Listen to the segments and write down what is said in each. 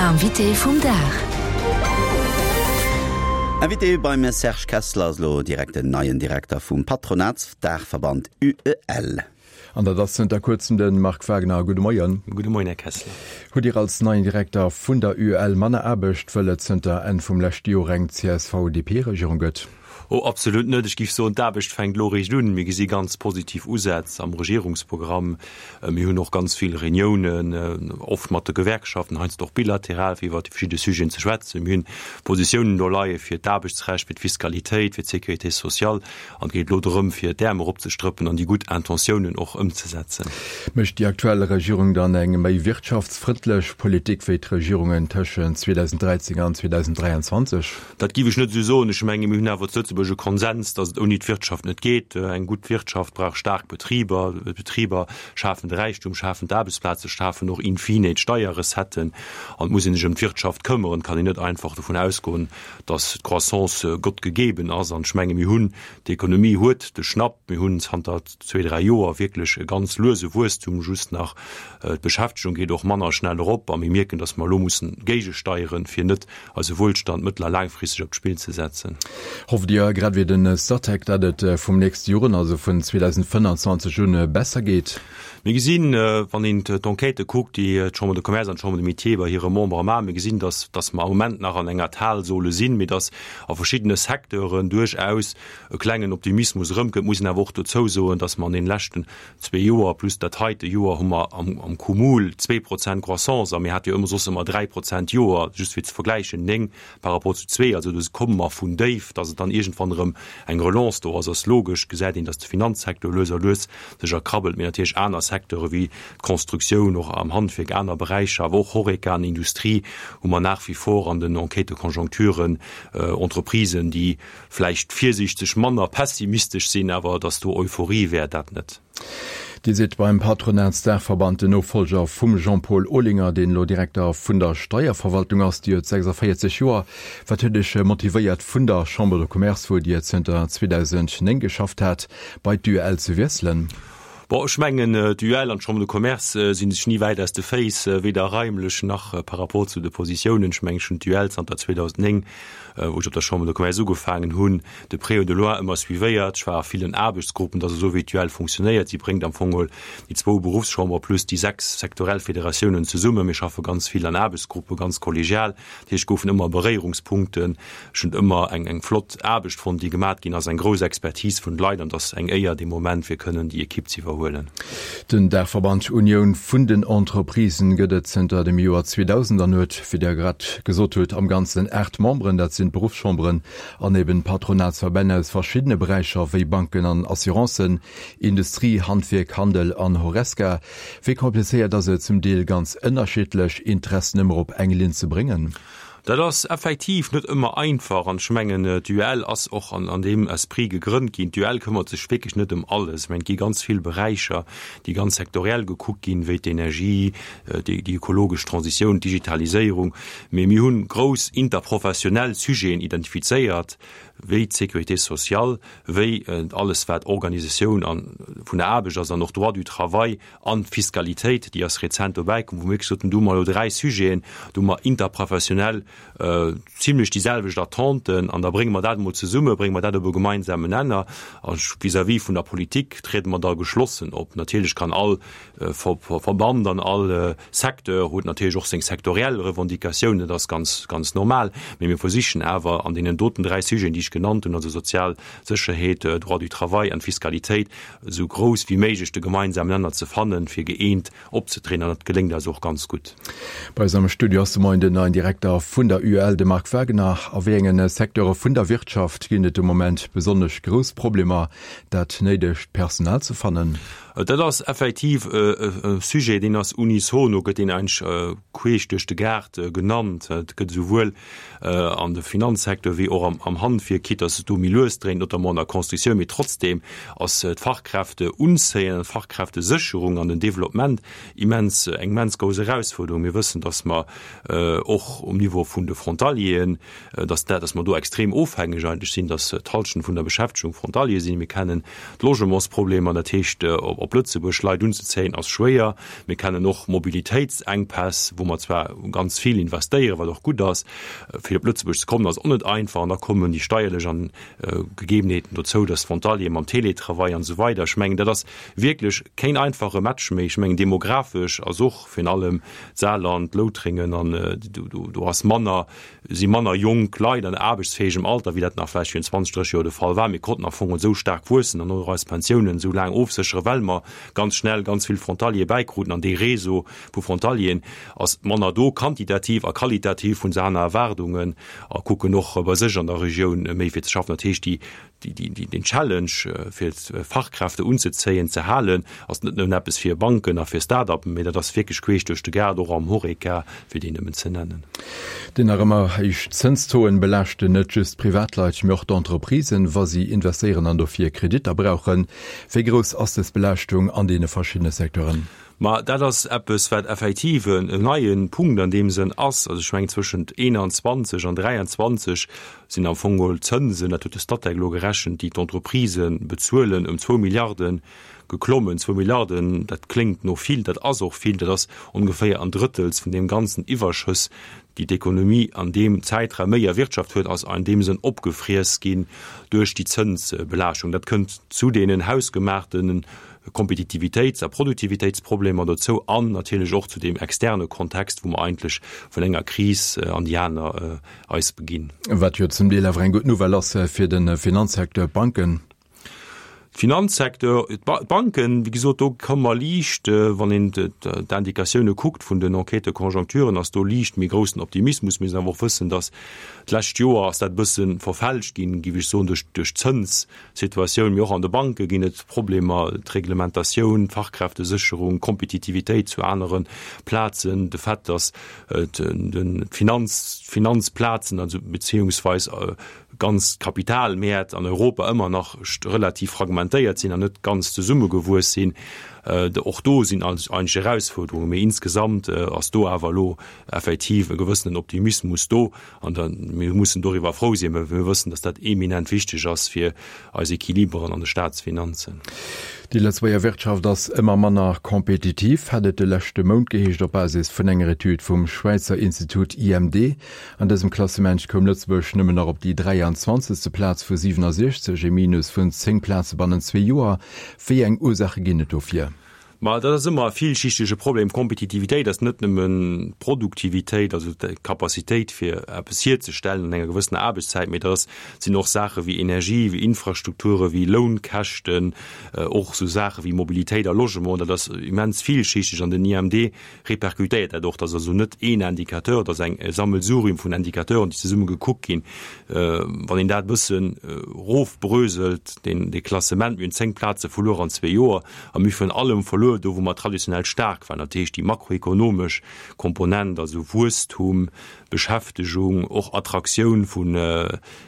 Invité vum Dag. Invité beim Serge Kessler ass elo direkt den neien Direkter vum Patronatsdaachverband UEL. An dat ass zënter kuerzem de Marc Wagner. Gudde Moien. Gudde Moien, Här Kessler. Hutt Dir als neien Direkter vun der UEL manner Aarbecht, wëll et zënter Enn vum leschte Joer eng CSV-DP-Regierung gëtt? Oh, absolut net. Ech géif soen, d'Aarbecht fänkt elo eréischt un. Mir gesi ganz positiv Usätz am Regierungsprogramm. Mir hunn och ganz vill Reuniounen, oft mat de Gewerkschaften, heiansdo och bilateral, fir iwwert déi verschidde Sujeten ze schwätzen. Mir hunn Positiounen do leie fir d'Aarbechtsrecht, fir d'Fiskalitéit, fir d'Sécurité sociale. An et geet elo drëm, fir d'Äerm eropzestrëppen an déi gutt Intentiounen och ëmzesetzen. Mécht déi aktuell Regierung dann eng méi wirtschaftsfrëndlech Politik wéi d'Regierungen tëschent 2013 an 2023? Dat géif ech net esou soen. Ech menge mir hunn awer zu Lëtzebuerg e Konsens, datt et ouni d'Wirtschaft net geet. Eng gutt Wirtschaft brauch staark Betriber. D'Betriber schafen de Räichtum, schafen d'Aarbechtsplaze, schafen och in fine d'Steierrecetten. An et muss ee sech ëm d'Wirtschaft këmmeren. Et kann een net einfach dovun ausgoen, datt d'Croissance Gott gegeben ass. An ech menge mir hunn, d'Ekonomie huet de Schnapp. Mir hunn zanter zwee, dräi Joer wierklech e ganz luese Wuesstum just nach. D'Beschäftegung geet och manner schnell erop a mir mierken, datt mer elo mussen géigesteieren, fir net eise Wuelstand mëttel a laangfristeg op d'Spill ze setzen. Hofft Dir, grad wéi de Statec, datt et vum nächste Joer un, also vun 2025 un, besser geet? Mir gesinn, wann een d'Enquêtë kuckt, déi d'Chambre de Commerce an d'Chambre de Métiers bei hire Membere maachen, mir gesinn, datt datt mer am Moment nach an enger Talsohle sinn, mee datt a verschiddene Secteuren duerchaus e klengen Optimismus erëmkënnt. Muss een awer och dozou soen, datt mer an deene leschten zwee Joer plus dat heite Joer hu mer am Cumul 2% Croissance a mir hate jo ëmmer soss ëmmer 3% d'Joer, just fir ze vergläichen, 9 par rapport zu zwee. Also do komme mer vun déif. Datt et dann iergendwann erëm eng Relance do ass, ass logesch. Gesäit een, datt de Finanzsecteur lues a lues sech erkrabbelt, mee natierlech aner Secteure wéi d'Constructioun, och am Handwierk, aner Beräicher, awer och Horeca an Industrie hu mer nach wie vor an den Enquête-de-conjoncturen Entreprisen, déi vläicht virsiichteg manner pessimistesch sinn, awer datt do Euphorie wär, dat net. Dir sidd beim Patronatsdaachverband den Nofollger vum Jean-Paul Olinger, deen elo Direkter vun der Steierverwaltung ass. Dir huet 46 Joer. Wat huet Iech motivéiert, vun der Chambre de Commerce, wou Dir zënter 2009 geschafft hat, bei d'UEL ze wiesselen? Bon, ech mengen, d'UEL an d'Chambre de Commerce si sech ni wäit aus de Féiss, weder raimlech nach par rapport zu de Positiounen. Ech mengen, ech hunn d'UEL zanter 2009, wou ech op der Chambre de Commerce ugefaangen hunn, de près ou de loin ëmmer suivéiert. Ech war a villen Aarbechtsgruppen. Dat ass esou, wéi d'UEL funktionéiert. Si bréngt am Fong geholl déi zwou Beruffschambere plus déi sechs sektorell Federatiounen zesummen. Mir schaffe ganz vill an Aarbechtsgruppe, ganz kollegial. Dat heescht, et goufen ëmmer Beréierungspunkten. Ech hunn ëmmer eng eng flott Aarbecht fonnt, déi gemat ginn ass, eng grouss Expertise vun de Leit an et ass eng Éier dee Moment, fir kënnen déi Ekipp ze iwwerhuelen. Den Daachverband Unioun vun den Entreprisen gëtt et zënter dem Joer 2000 an huet, wéi Der grad gesot hutt, am Ganzen 8 Memberen. Dat sinn d'Beruffschamberen an eben d'Patronatsverbänn aus verschiddene Beräicher wéi Banken an Assurancen, Industrie, Handwierk, Handel an Horesca. Wéi komplizéiert ass et, zum Deel ganz ënnerschiddlech Interessen ëmmer op eng Linn ze bréngen? Dat ass effektiv net ëmmer einfach an ech mengen, d'UEL ass och an deem Esprit gegrënnt ginn. D'UEL këmmert sech wierklech net ëm alles. Ech mengen, et gi ganz vill Beräicher, déi ganz sektoriell gekuckt ginn, wéi d'Energie, déi ökologesch Transitioun, d'Digitaliséierung. Mee mir hunn grouss interprofessionell Sujeten identifizéiert, wéi d'Sécurité sociale, wéi alles wat Organisatioun vun der Aarbecht ass an och Droit du travail An d'Fiskalitéit, déi ass rezent dobäi komm, wou mir wierklech soten, do hu mer elo dräi Sujeten, do hu mer interprofessionell zimlech déi selwecht Attenten an da brénge mer dat emol zesumme, brénge mer dat op e gemeinsamen Nenner. A vis-à-vis vun der Politik triede mer da geschlossen op. Natierlech kann all Verband an all Secteur huet natierlech och seng sektoriell Revendicatiounen, dat ass ganz, ganz normal. Mee mir versichen awer an deenen doten dräi Sujeten, déi ech genannt hunn, also sozial Sécherheet, Droit du travail an d'Fiskalitéit, esou grouss wéi méiglech de gemeinsamen Nenner ze fannen, fir gëeent opzetrieden, an dat geléngt eis och ganz gutt. Bei eis am Studio ass de Moien den neien Direkter vun der UEL, de Marc Wagener. A wéi engen Secteure vun der Wirtschaft ginn et de Moment besonnesch grouss Problemer, dat néidegt Personal ze fannen? Dat ass effektiv e Sujet, deen ass unisono, gëtt deen eigentlech queesch duerch de Gaart genannt. Et gëtt esouwuel an de Finanzsecteur wéi och am Handwierk, quitte dass et do méi lues dréint, notamment an der Constructioun, mee trotzdem ass d'Fachkräfteunzéien an d'Fachkräftesécherung an den Développement immens, eng immens grouss Erausfuerderung. Mir wëssen, dass mer och um Niveau vun de Frontalieren, dass dat, dass mer do extrem ofhängeg eigentlech sinn, dass d'Halschent vun der Beschäftegung Frontalier sinn. Mir kennen d'Logementsproblemer, dat heescht op. Op Lëtzebuerg Leit unzezéien ass schwéier. Mir kennen och Mobilitéitsenkpäss, wou mer zwar ganz vill investéieren, wat och gutt ass. Fir op Lëtzebuerg ze kommen ass och net einfach. An da kommen déi steierlech an Gegebenheeten dozou, dass d'Frontaliere mam Télétravail an esou weider. Ech mengen, dat ass wierklech keen einfache Match méi. Ech mengen, demografesch ass och virun allem d'Saarland, Loutrengen an do ass manner, si manner jonk Leit an aarbechtsfäegem Alter, wéi dat nach vläicht virun 20, 30 Joer de Fall war. Mir konnten am Fong esou staark wuessen an och eis Pensiounen esou laang ofsécheren, well mer ganz schnell ganz vill Frontaliere bäikruten an dee Réseau vu Frontalieren ass manner do, quantitativ a qualitativ hunn se aner Erwaardungen a kucken och bei sech an der Regioun méi fir ze schaffen. Dat heescht, déi deen Challenge fir Fachkräfte unzezéien, ze halen, ass net nëmmen eppes fir Banken a fir Start-upen, mee dat ass wierklech queesch duerch de Gaart, och am Horeca, fir déi nëmmen ze nennen. Déi nach ëmmer héich Zënstauxen belaaschten net just d'Privatleit, mee och d'Entreprisen, wa si investéieren an dofir Kreditter brauchen. Wéi grouss ass dës Belaaschtung an deene verschiddene Secteuren? Ma dat ass eppes, wat effektiv en neie Punkt an deem Sënn ass. Also ech mengen, zwëschent 21 an 23 sinn am Fong geholl d'Zënsen, dat huet de Statec elo gerechent, déi d'Entreprisë bezuelen, ëm zwou Milliarde geklommen. Zwou Milliarden, dat kléngt no vill, dat ass och vill, dat ass ongeféier en Drëttels vun deem ganzen Iwwerschëss, déi d'Ekonomie an deem Zäitraum méi erwirtschaft huet, ass an deem Sënn opgefriess ginn duerch déi Zënsbelaaschtung. Dat kënnt zu deenen hausgemaachten Kompetitivitéits a Produktivitéitsproblemer dozou an natierlech och zu deem externe Kontext, wou mer eigentlech vun enger Kris an déi aner eis beginn. Wat jo zum Deel awer eng gutt Nouvelle ass fir de Finanzsecteur, d'Banken. Finanzsecteur, d'Banken, wéi gesot, do komme mer liicht, wann een d'Indikatioune kuckt vun den Enquêtes-de-conjoncturen, ass do liicht méi groussen Optimismus. Mir müssen awer och wëssen, datt d'lescht Joer ass dat e bësse verfälscht ginn, géif ech soen, duerch d'Zëns, Situatioun, mee och an de Banke ginn et Problemer, d'Reglementatioun, d'Fachkräftesécherung, d'Kompetitivitéit zu anere Plazen, de Fait, datt d'Finanz, d'Finanzplazen, also beziehungsweis ganz d'Kapitalmäert an Europa ëmmer nach relativ fragmentéiert sinn an net ganz zesummegewuess sinn. Och do sinn eigentlech Erausfuerderungen, mee insgesamt ass do awer elo effektiv e gewëssenen Optimismus do. An da mir mussen doriwwer frou sinn, well mir wëssen, dass dat eminent wichteg ass fir eis Equiliberen an de Statsfinanzen. Déi Lëtzebuerger Wirtschaft ass ëmmer manner kompetitiv, hat et de leschte Mount geheescht op Basis vun enger Etüd vum Schwäizer Institut IMD. An dësem Klassement koum Lëtzebuerg nëmmen nach op déi 23. Plaz vu 67, e Minus vun 10 Plaze bannent zwee Joer. Wéi eng Ursaache ginn et dofir? Ma dat ass ëmmer e villschichtege Problem. Kompetitivitéit ass net nëmmen d'Produktivitéit, also d'Capacitéit fir eppes hierzestellen an enger gewëssener Aarbechtszäit, mee dat ass, sinn och Saache wéi Energie, wéi Infrastrukture, wéi Lounkäschten, och esou Saache wéi Mobilitéit a Logement. Dat ass immens villschichteg an den IMD repercutéiert dat och. Dat ass also net een Indicateur, dat ass eng e Sammelsurium vun Indicateuren, déi zesumme gekuckt ginn. Wann een dat e bëssen erofbröselt, deen, dee Klassement, mir hunn 10 Plaze verluer an zwee Joer, A mir hu virun allem verluer do, wou mer traditionell staark waren, dat heescht déi makroekonomesch Komponent, also Wuesstum, Beschäftegung, och Attraktioun vun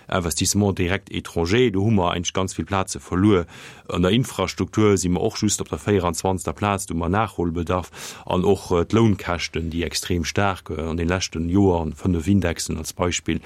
Investissements directs étrangers. Do hu mer eigentlech ganz vill Plaze verluer. An der Infrastruktur si mer och just op der 24. Plaz, do hu mer Nachholbedarf. An och d'Lounkäschten, déi extrem staark an de leschten Joer, 5 Indexen als Beispill,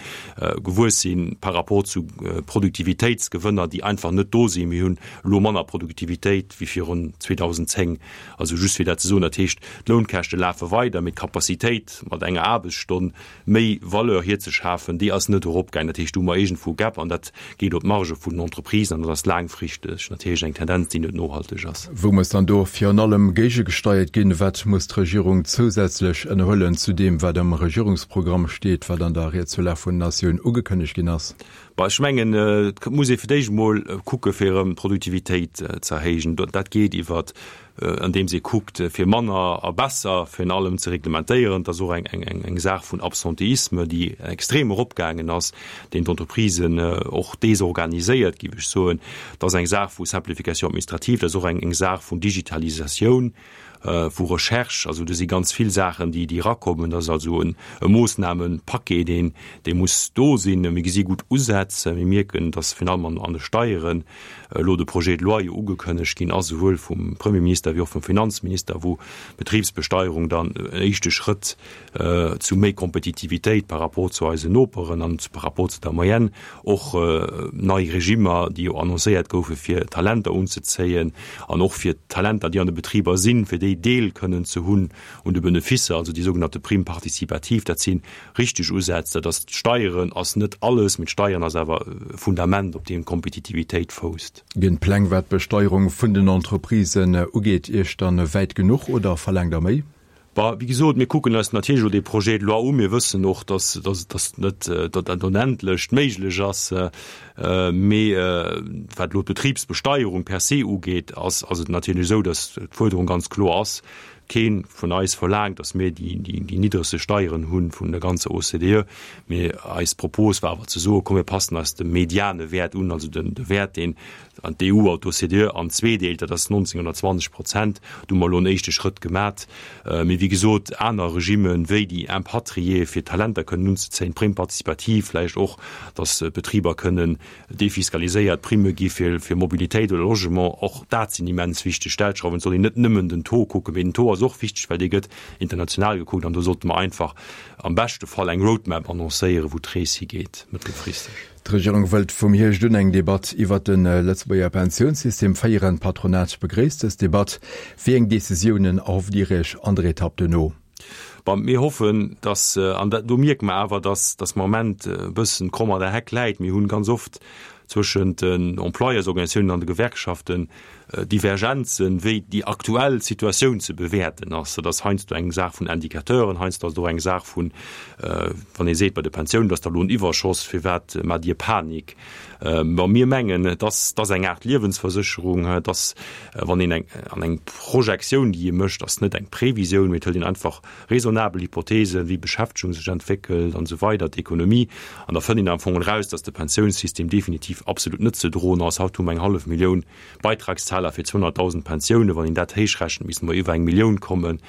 gewuess sinn par rapport zu Produktivitéitsgewënner, déi einfach net do sinn. Mir hunn elo manner Produktivitéit wéi virun 2010. Also just fir dat ze soen, dat heescht, d'Lounkäschte lafe weider, mee d'Capacitéit mat enger Aarbechtsstonn méi Valeur hierzeschafen, déi ass net eropgaangen. Dat heescht, do hu mer iergendwou e Gap an dat geet op d'Marge vun den Entreprisen an dat ass laangfristeg natierlech eng Tendenz, déi net nohalteg ass. Wou muss dann do virun allem géigegesteiert ginn? Wat muss d'Regierung zousätzlech ënnerhuelen zu deem, wat am Regierungsprogramm steet, wat an der Ried zur Lag vun der Natioun ugekënnegt ginn ass? Bon, ech mengen, et muss ee fir d'éischt emol kucke fir erëm d'Produktivitéit ze erhéijen. Dat geet iwwer, andeems ee kuckt, fir manner a besser virun allem ze reglementéieren. Dat ass och eng Saach vun Absentéisme, déi extrem eropgaangen ass, deen d'Entreprisen och desorganiséiert, géif ech soen. Dat ass eng Saach vu Simplification administrative, dat ass och eng Saach vun Digitalisatioun. vu Recherche. Also do si ganz vill Saachen, déi erakommen. Dat ass also e Moossnamenpaquet, deen dee muss do sinn. Mir gesi gutt Usätz. Mir mierken, datt virun allem an de Steieren elo de Projet de loi jo ugekënnegt ginn ass, esouwuel vum Premierminister wéi och vum Finanzminister, wou d'Betribsbesteierung dann en éischte Schrëtt zu méi Kompetitivitéit par rapport zu eisen Noperen an par rapport zu der Moyenne, och nei Regimmer, déi jo annoncéiert goufe fir Talenter unzezéien an och fir d'Talenter, déi an de Betriber sinn, fir déi Deel kënnen ze hunn un de Beneficer, also déi sougenannte Prime participative, dat si richteg Usätz. Dat ass, d'Steieren ass net alles, mee d'Steieren ass awer e Fundament, op deem d'Kompetitivitéit fousst. Ginn d'Pläng, wat d'Besteierung vun den Entreprisen ugeet, Iech dann wäit genuch oder verlaangt Der méi? Bon, wéi gesot, mir kucken eis natierlech elo dee Projet de loi u. Mir wëssen och, dass, dass, dass net dat Onendlecht méiglech ass. Mee wat elo d'Betribsbesteierung per se ugeet, ass, ass et natierlech esou, dass d'Fuerderung ganz kloer ass, Kee vun eis verlaangt, dass mir déi, déi, déi niddregste Steieren hu vun der ganzer OCDE. Mee eis Propos war awer ze soen, komm mir passen eis dem mediane Wäert un, also den, de Wäert, deen An d'EU an d'OCDE an zweedeelt, dat ass 19 oder 20 Prozent. Do hu mer elo en éischte Schrëtt gemat. Mee wéi gesot, aner Regimmen, wéi déi Impatrié fir Talenter kënnen unzezéien, d'Prime participative vläicht och, datt d'Betriber kënnen defiskaliséiert Primme gi fir Mobilitéit oder Logement, och dat sinn immens wichteg Stellschrauwen. Et soll een net nëmmen den Taux kucken, mee den Taux ass och wichteg, well dee gëtt international gekuckt. An do sollte mer einfach am beschte Fall eng Roadmap annoncéieren, wou d'Rees higeet mëttelfristeg. D'Regierung wëllt vum Hierscht un eng Debatt iwwert de Lëtzebuerger Pensiounssystem féieren. D'Patronat begréisst dës Debatt. Wéi eng Decisiounen erhofft Dir Iech an der Etapp duerno? Bon, mir hoffen, dass, an dat, do mierke mer awer, dass, dass mer am Moment e bëssen d'Kromm an der Heck läit. Mir hunn ganz oft zwëschent den Employeursorganisatiounen an de Gewerkschaften Divergenzen, wéi déi aktuell Situatioun ze bewäerten ass. Dat ass heiansdo eng Saach vun Indicateuren, heiansdo ass et och eng Saach vun, wann ee seet, bei de Pensiounen, et ass da elo en Iwwerschoss, firwat maacht Dir Panik? Bon, mir mengen, et ass, et ass eng Aart Liewensversécherung, et ass, wann een eng, an eng Projektioun, déi ee mécht, ass net eng Previsioun, mee et hëlt een einfach raisonnabel Hypothesen, wéi d'Beschäftegung sech entwéckelt an esou weider, d'Ekonomie, an da fënnt een am Fong eraus, dass de Pensiounssystem definitiv absolut net ze droen ass. Haut hu mer eng hallef Millioun Beitragszahler fir 200.000 Pensiounen, wann een dat héichrechent, misste mer iwwer eng Millioun kommen.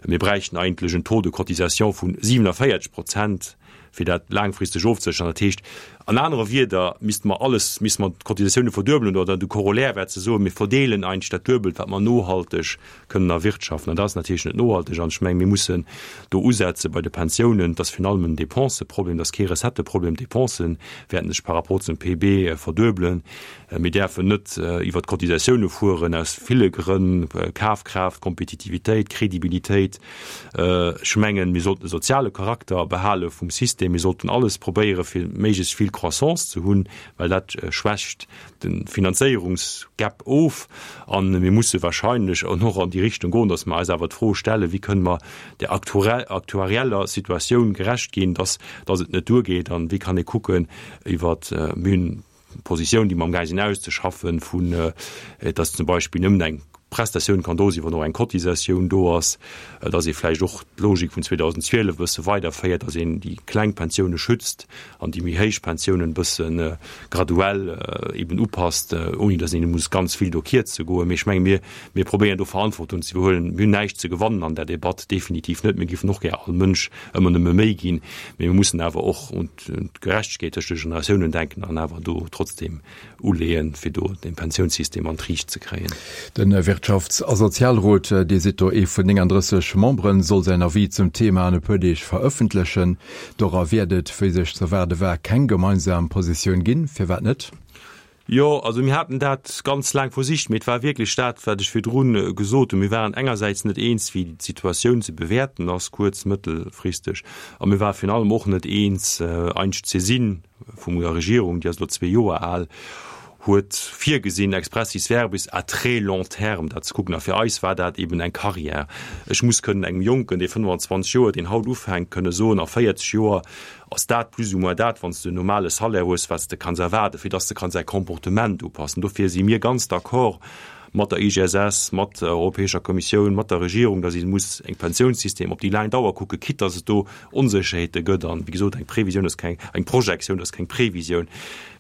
Mir bräichten eigentlech en Taux de cotisation vu 47 Prozent, fir dat laangfristeg ofzesécheren. Dat heescht an anere Wieder, misste mer alles, misste mer d'Cotisatioune verduebelen oder de Corollaire wär ze soen, mir verdeelen eigentlech dat Duebelt, wat mer nohalteg kënnen erwirtschaften. An dat ass natierlech net nohalteg. An ech mengen, mir mussen do usetze bei de Pensiounen. Et ass virun allem en Dépenseproblem, et ass kee Recetteproblem. D'Dépensen wäerten sech par rapport zum PIB verduebelen. Mir däerfen net iwwert d'Cotisatioune fueren, aus ville Grënn, Kafkraaft, Kompetitivitéit, Kredibilitéit. Ech mengen, mir sollten de soziale Charakter behale vum System. Mir sollten alles probéieren, fir méiglechst vill Croissance ze hunn, well dat schwächt de Finanzéierungsgap of. A mir musse wahrscheinlech och an déi Richtung goen, datt mer eis awer d'Fro stellen, Wéi kënne mer der aktuarieller Situatioun gerecht ginn, datt et net duergeet? An wéi kann ee kucken iwwer, mir hunn Positioun, déi mer amgaang sinn auszeschaffen, vun dass zum Beispill nëmmen eng Prestatioun kann do sinn, wann och eng Cotisatioun do ass, dass ee vläicht och d'Logik vun 2012 e bësse weiderféiert, dass een déi kleng Pensioune schützt an déi méi héich Pensiounen e bësse graduell eben upasst, ouni dass een muss ganz vill do kierze goen. Mee ech menge mir, mir probéieren do Verantwortung ze iwwerhuelen. Mir hunn näischt ze gewannen an där Debatt, definitiv net. Mir géifen och gär all Mënsch ëmmer nëmme méi ginn, mee mir mussen awer och un d'Gerechtegkeet tëscht de Generatiounen denken an awer do trotzdem uleeën, fir do de Pensiounssystem an d'Riicht ze kréien. De Wirtschafts a Sozialrot, Dir sidd do ee vun 39 Memberen, soll säin Avis zum Thema an e puer Deeg verëffentlechen. Dora wäert et, wéi sech z'erwaarde war, keng gemeinsam Positioun ginn. Firwat net? Jo, also mir haten dat ganz laang versicht, mee et war wierklech dat, wat ech virdru gesot hunn. Mir waren engersäits net eens, wéi d'Situatioun ze bewäerten ass, kuerz-, mëttelfristeg, a mir ware virun allem och net eens, eigentlech d'Saisine vum der Regierung, déi ass elo zwee Joer al, huet virgesinn, expressis verbis à très long terme dat ze kucken. A fir eis war dat eben eng Carrière. Ech muss kënnen engem Jonken, dee 25 Joer, deen haut ufänkt, kënne soen, a 40 Joer Ass dat plus ou moins dat, wann s de en normale Salaire hues, wat s de kanns erwaarden, fir dass de kanns däi Comportement upassen? Dofir si mir ganz d'accord. mat der IGSS, mat der Europäescher Kommissioun, mat der Regierung, datt ee muss eng Pensiounssystem op déi laang Dauer kucken, quitte datt et do Onsécherheete gëtt. An, wéi gesot, eng Previsioun ass keng, eng Projektioun ass keng Previsioun.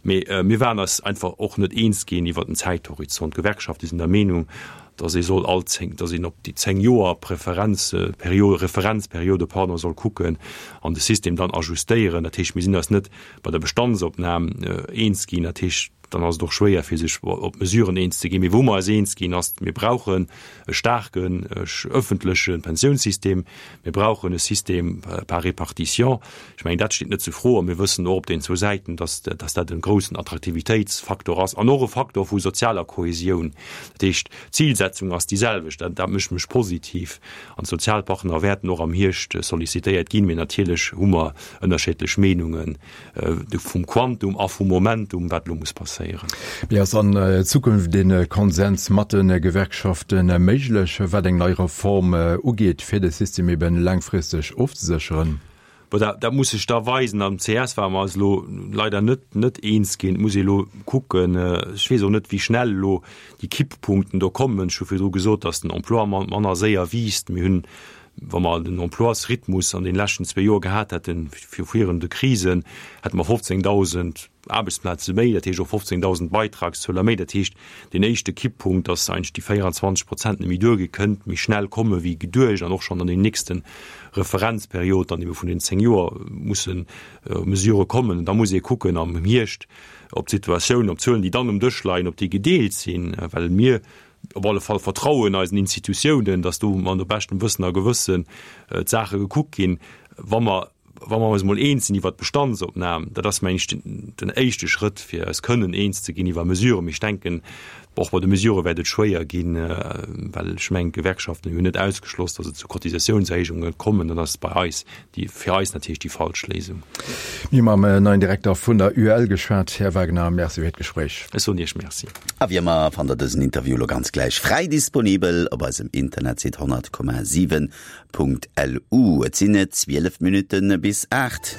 Mee mir waren eis einfach och net eens ginn iwwert den Zäithorizont. D'Gewerkschafte sinn der Meenung, datt ee soll all zéng, datt een op déi 10 Joer Preferenzperiode, Referenzperiode, pardon, soll kucken an de System dann ajustéieren. Dat heescht, mir sinn eis net bei der Bestandsopnam eens ginn. Dat heescht, dann ass et och schwéier fir sech op Mesuren eens ze ginn. Mee wou mer eis eens ginn, ass, mir brauchen e staarken öffentleche Pensiounssystem, mir brauchen e System par répartition. Ech mengen, dat steet net zu Fro. A mir wëssen och op den zwou Säiten, dass, dass dat e groussen Attraktivitéitsfaktor ass an och e Faktor vu sozialer Kohesioun. Dat heescht, d'Zilsetzung ass déi selwecht. Dat, dat mécht mech positiv. An d'Sozialpartner wäerten och am Hierscht sollicitéiert ginn. Mee natierlech hu mer ënnerscheedlech Meenungen vum Quantum a vum Momentum, wat elo muss passéieren. Mee ass an Zukunft e Konsens mat de Gewerkschafte méiglech, wat eng nei Reform ugeet, fir de System eben laangfristeg ofzesécheren? Bon, dat, dat muss sech da weisen. Am CS ware mer eis elo leider net, net eens ginn. Et muss ee elo kucken. Ech weess och net, wéi schnell elo déi Kipppunkten do kommen. Ech hu virdru gesot, datt den Emploi manner séier wiisst. Mir hunn, wa mer den Emploisrhythmus an deene leschten zwee Joer gehat hätten, virun de Krisen, hätte mer 15.000 Aarbechtsplaze méi, dat heescht och 15.000 Beitragszueler méi. Dat heescht, deen éischte Kipppunkt, dass eigentlech déi 24 Prozent net méi duergi kënnt méi schnell komme wéi geduecht an och schonn an den nächste Referenzperiod dann ebe vun den 10 Joer musse Mesurë kommen. Da muss ee kucken am Hierscht, ob d'Situatioun, ob d'Zuelen, déi dann um Dësch leien, ob déi gedeelt sinn, well mir op alle Fall vertrauen eisen Institutiounen, dass do no beschtem Wëssen a Gewëssen d'Saache gekuckt ginn. Wa mer Wa mer eis emol eens sinn iwwert d'Bestandsopnam, dat ass, meng ech, den éischte Schrëtt, fir eis kënnen eens ze ginn iwwer Mesuren. Mee ech denken, och bei de Mesurë wäert et schwéier ginn, well ech mengen, d'Gewerkschaften hunn net ausgeschloss, datt et zu Cotisatiounserhéijunge kommen. Dat ass bei eis déi, fir eis natierlech déi falsch Léisung. Mir hu mam neien Direkter vun der UEL geschwat. Här Wagner, Merci fir d'Gespréich. Ech soen Iech Merci. A wéi ëmmer fannt der dësen Interview elo ganz gläich fräi disponibel op eisem Internetsite 100,7 Punkt LU. Et sinn 12 Minutte bis 8.